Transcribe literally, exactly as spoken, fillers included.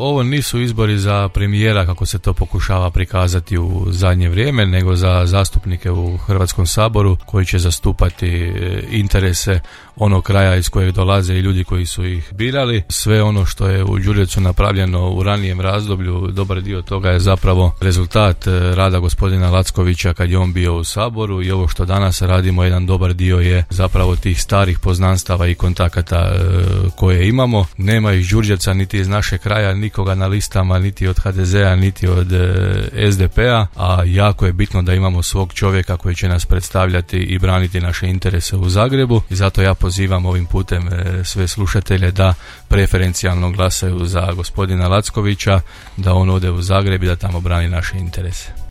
Ovo nisu izbori za premijera kako se to pokušava prikazati u zadnje vrijeme, nego za zastupnike u Hrvatskom saboru koji će zastupati interese onog kraja iz kojeg dolaze i ljudi koji su ih birali. Sve ono što je u Đurđevcu napravljeno u ranijem razdoblju, dobar dio toga je zapravo rezultat rada gospodina Lackovića kad je on bio u Saboru, i ovo što danas radimo, jedan dobar dio je zapravo tih starih poznanstava i kontakata koje imamo. Nema iz Đurđevca niti iz našeg kraja nikoga na listama, niti od ha de zea, niti od es de pe-a, a jako je bitno da imamo svog čovjeka koji će nas predstavljati i braniti naše interese u Zagrebu, i zato ja pozivam ovim putem sve slušatelje da preferencijalno glasaju za gospodina Lackovića, da on ode u Zagreb i da tamo brani naše interese.